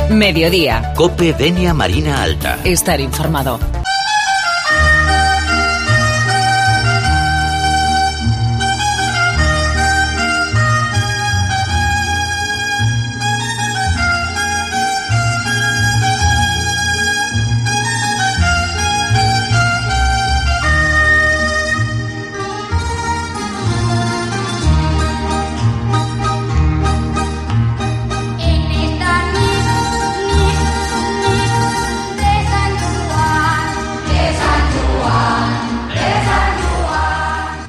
Mediodía. COPE Denia Marina Alta. Estar informado.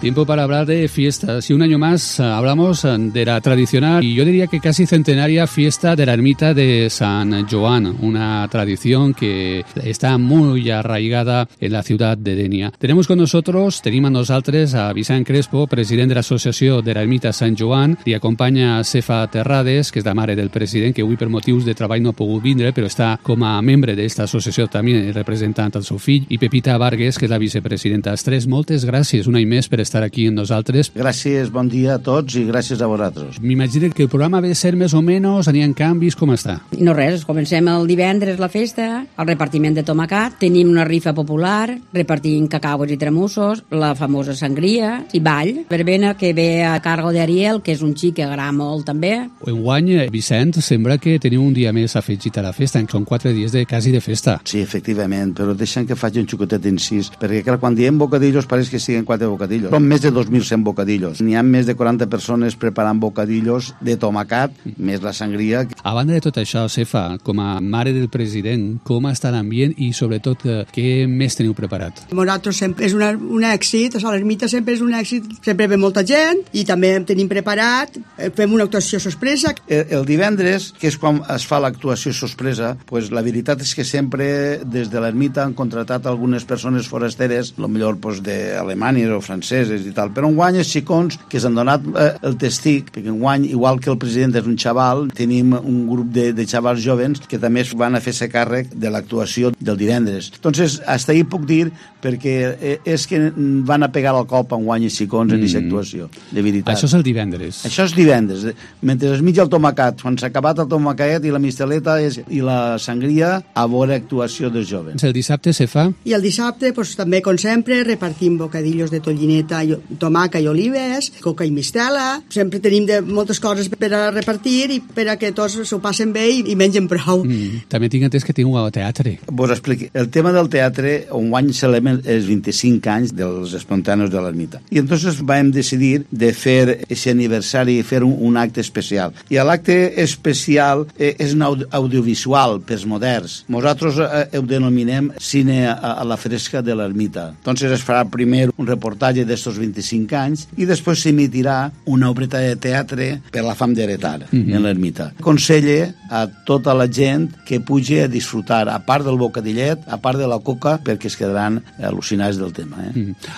Tiempo para hablar de fiestas y un año más hablamos de la tradicional y yo diría que casi centenaria fiesta de la ermita de San Joan, una tradición que está muy arraigada en la ciudad de Denia. Tenim amb nosaltres a Vicent Crespo, president de l'associació de l'ermita Sant Joan, i acompanya Cefa Terrades, que és la mare del president, que avui per motius de treball no ha pogut vindre, però està com a membre d'esta associació també representant el seu fill, i Pepita Vargas, que és la vicepresidenta. Els tres, moltes gràcies un any més per estar aquí amb nosaltres. Gràcies, bon dia a tots i gràcies a vosaltres. M'imagino que el programa ve a ser més o menys, aniran canvis, com està? No res, comencem el divendres la festa, el repartiment de tomacat, tenim una rifa popular, repartim cacaues i tremussos, la famosa sangria i ball. Verbena que ve a cargo d'Ariel, que és un xic que agrada molt també. Enguany, Vicent, sembla que teniu un dia més afegit a la festa, són 4 dies quasi de festa. Sí, efectivament, però deixen que faci un xucotet incís, perquè clar, quan diem bocadillos pareix que siguen 4 bocadillos. Són més de 2.100 bocadillos. N'hi ha més de 40 persones preparant bocadillos de tomacat, més la sangria. A banda de tot això, Cefa, com a mare del president, com està l'ambient i sobretot què més teniu preparat? Nosaltres sempre és un èxit, a l'ermita sempre és un èxit, sempre ve molta gent i també tenim preparat, fem una actuació sorpresa. El divendres, que és quan es fa l'actuació sorpresa, pues la veritat és que sempre des de l'ermita han contratat algunes persones forasteres, potser pues, d'Alemanya o franceses i tal, però enguany els xicons que s'han donat el testic, perquè enguany, igual que el president és un xaval, tenim un grup de xavals jovens que també es van a fer-se càrrec de l'actuació del divendres. Entonces, hasta ahí puc dir, perquè és que van a pegar el cop enguany els xicons en aquesta actuació, de veritat. Això és el divendres. Això és divendres. Mentre es mitja el tomacat, quan s'ha acabat el tomacat i la misteleta i la sangria, a veure actuació dels jovens. El dissabte se fa? I el dissabte, pues, també, com sempre, repartim bocadillos de tollineta, tomaca i olives, coca i mistela. Sempre tenim moltes coses per a repartir i per a que tots s'ho passen bé i mengen prou. També tinc entès que tinc un teatre. Vos expliqui. El tema del teatre, enguany celebrem els 25 anys dels espontanos de l'ermita. I entonces vam decidir de fer aquest aniversari, fer un acte especial. I l'acte especial és un audiovisual pels moderns. Nosaltres ho denominem cine a la fresca de l'ermita. Entonces es farà primer un reportatge d'estos 25 anys i després s'emitirà una obreta de teatre per la fam d'heretar en l'ermita. Aconselle a tota la gent que pugi a disfrutar, a part del bocadillet, a part de la coca, perquè es quedaran al·lucinats del tema.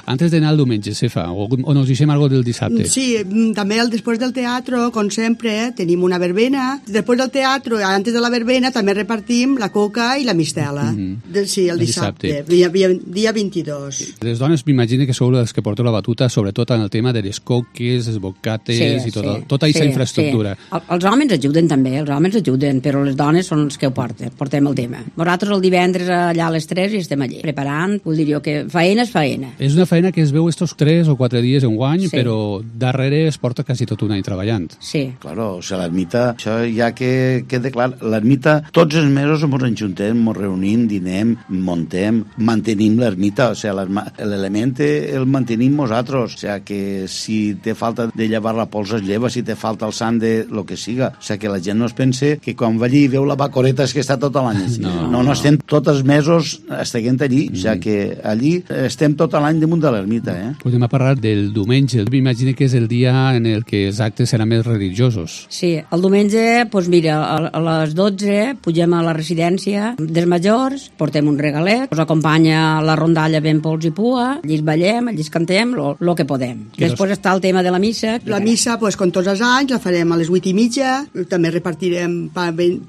Antes d'anar el diumenge, Cefa, o nos deixem algo del dissabte? Sí, també després del teatre, com sempre, tenim una verbena. Després del teatre, antes de la verbena, també repartim la coca i la mistela. Sí, el dissabte. Dia 22. Les dones m'imagino que sou les que porteu la batuta, sobretot en el tema de les coques, els bocates i tota aquesta infraestructura. Sí. Els homes ajuden també, però les dones són els que ho portem el tema. Nosaltres el divendres allà a les 3 i estem allà preparant, vull dir jo que faena és faena. És una feina que es veu estos 3 o 4 dies enguany, però darrere es porta quasi tot un any treballant. Sí. Claro, o sigui, l'ermita, això ja que queda clar, l'ermita, tots els mesos ens enjuntem, ens reunim, dinem, montem, mantenim l'ermita, o sigui, l'element el mantenim nosaltres, o sigui, que si té falta de llevar la pols es lleva, si té falta el sant de lo que siga, o sigui, que la gent no es pense que quan va allí i veu la bacoreta és que està tot l'any. No, estem tots els mesos estiguent allí, o sigui, que allí estem tot l'any damunt de l'ermita. Podem parlar del diumenge, m'imagino que és el dia en el que els actes seran més religiosos. Sí, el diumenge, doncs mira, a les 12 pugem a la residència dels majors, portem un regalet, ens acompanya la rondalla ben pols i pua, allí ballem, allí cantem, el que podem. Després està el tema de la missa. La missa, doncs, com tots els anys, la farem a les 8:30, també repartim repartirem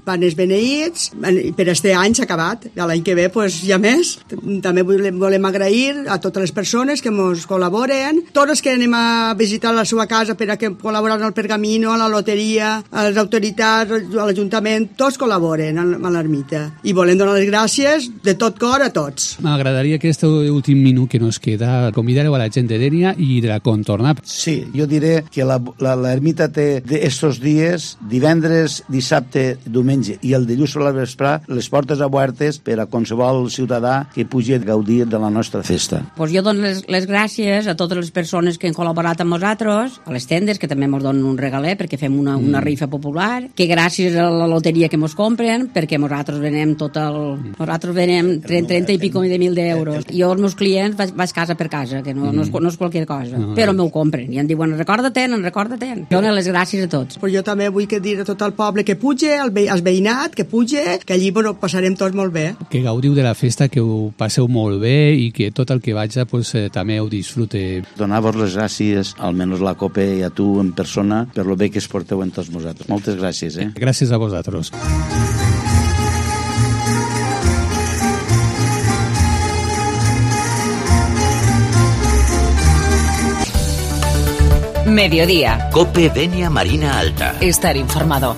panes beneïts. Per este any s'ha acabat. L'any que ve, pues, hi ha més. També volem agrair a totes les persones que ens col·laboren, tots els que anem a visitar la seva casa per a que col·laboren al Pergamino, a la loteria, a les autoritats, a l'Ajuntament, tots col·laboren a l'ermita. I volem donar les gràcies de tot cor a tots. M'agradaria que este últim minut que nos queda convidareu a la gent de Dénia i de la contornar. Sí, jo diré que l'ermita té estos dies, divendres, dissabte, diumenge i el dilluns a la vesprà, les portes obertes per a qualsevol ciutadà que pugui gaudir de la nostra festa. Pues jo dono les gràcies a totes les persones que han col·laborat amb nosaltres, a les tendes, que també ens donen un regalet perquè fem una rifa popular, que gràcies a la loteria que ens compren, perquè nosaltres venem nosaltres venem 30 i pico de mil d'euros. Jo els meus clients vaig casa per casa, que no és qualsevol cosa, però m'ho compren i em diuen recorda-te'n. Dono les gràcies a tots. Però jo també vull dir a tot el poble que puge, al veïnat, que puge, que allí ho passarem tots molt bé. Que gaudiu de la festa, que ho passeu molt bé i que tot el que vaja pues, també ho disfrute. Donar-vos les gràcies, almenys la COPE i a tu en persona, per lo bé que es porteu en tots vosaltres. Moltes gràcies. Gràcies a vosaltres. Mediodía. COPE Denia Marina Alta. Estar informado.